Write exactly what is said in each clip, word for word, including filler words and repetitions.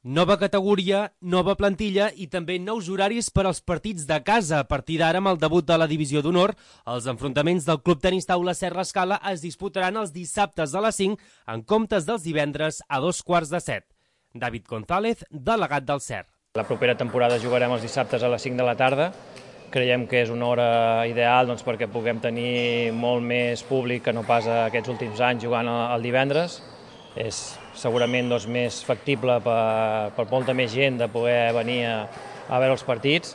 Nova categoria, nova plantilla i també nous horaris per als partits de casa. A partir d'ara, amb el debut de la Divisió d'Honor, els enfrontaments del Club Tenis Taula Serra Escala es disputaran els dissabtes a les cinc en comptes dels divendres a dos quarts de set. David González, delegat del C E R. La propera temporada jugarem els dissabtes a les cinc de la tarda. Creiem que és una hora ideal doncs, perquè puguem tenir molt més públic que no pas aquests últims anys jugant el divendres. És segurament doncs, més factible per, per molta més gent de poder venir a, a veure els partits,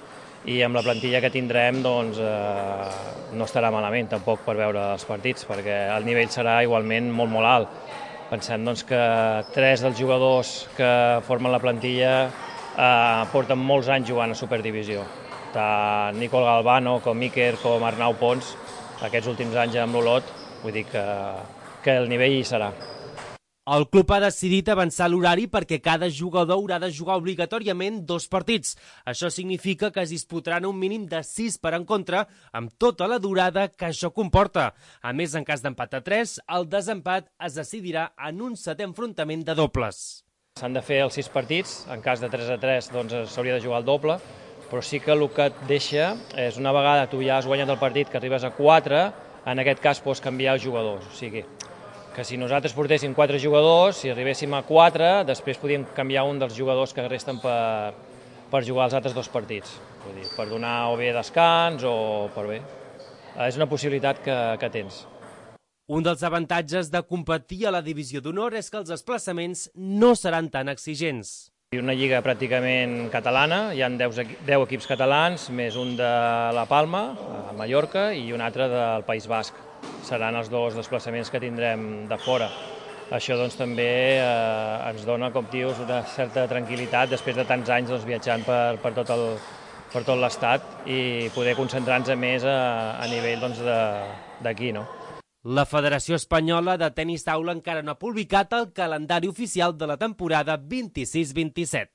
i amb la plantilla que tindrem doncs, eh, no estarà malament tampoc per veure els partits, perquè el nivell serà igualment molt molt alt. Pensem doncs, que tres dels jugadors que formen la plantilla eh, porten molts anys jugant a Superdivisió. Tant Nicol Galvano com Iker com Arnau Pons, aquests últims anys amb l'Olot, vull dir que, que el nivell hi serà. El club ha decidit avançar l'horari perquè cada jugador haurà de jugar obligatòriament dos partits. Això significa que es disputaran un mínim de sis per encontre, amb tota la durada que això comporta. A més, en cas d'empat a tres, el desempat es decidirà en un setè enfrontament de dobles. S'han de fer els sis partits, en cas de tres a tres doncs s'hauria de jugar el doble, però sí que el que et deixa és, una vegada tu ja has guanyat el partit, que arribes a quatre, en aquest cas pots canviar els jugadors. O sigui, que si nosaltres portéssim quatre jugadors, si arribéssim a quatre, després podíem canviar un dels jugadors que resten per, per jugar els altres dos partits. Vull dir, per donar o bé descans o per bé. És una possibilitat que, que tens. Un dels avantatges de competir a la Divisió d'Honor és que els desplaçaments no seran tan exigents. Una lliga pràcticament catalana, hi ha deu equips catalans, més un de La Palma, a Mallorca, i un altre del País Basc. Seran els dos desplaçaments que tindrem de fora. Això doncs, també eh, ens dona, com dius, una certa tranquil·litat després de tants anys doncs, viatjant per, per tot el, per tot l'estat i poder concentrar-nos més a, a nivell doncs, d'aquí, no? La Federació Espanyola de Tenis Taula encara no ha publicat el calendari oficial de la temporada vint-i-sis vint-i-set.